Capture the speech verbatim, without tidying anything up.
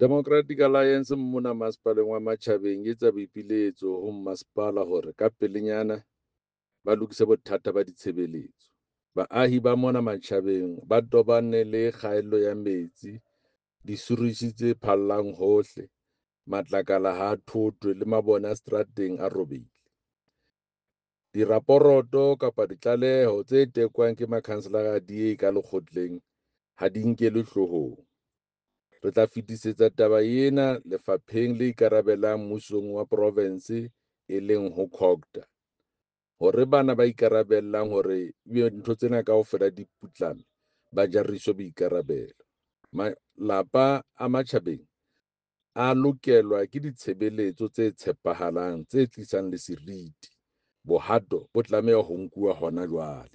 Democratic Alliance mona masepaleng wa Matjhabeng e etsa boipiletso ho mmasepala hore ka pelenyana ba lokise bothata ba ditshebeletso. Baahi ba mona Matjhabeng ba tobane le kgaello ya metsi, disuritjhi tse phallang hohle, matlakala ha a thothwe le mabone a seterateng a robehile. Diraporoto kapa ditlaleho tse tekwang ke makhanselara a D A ka lekgotleng ha di nkelwe hloohong. Re tla fetisetsa taba ena lefapheng le ikarabellang mmusong wa provense e leng ho COGTA hore bana ba ikarabellang hore ebe ntho tsena kaofela di putlame ba jariswe boikarabelo. Malapa a Matjhabeng a lokelwa ke ditshebeletso tse tshepahalang tse tlisang le seriti. Bohato bo tlameha ho nkuwa hona jwale.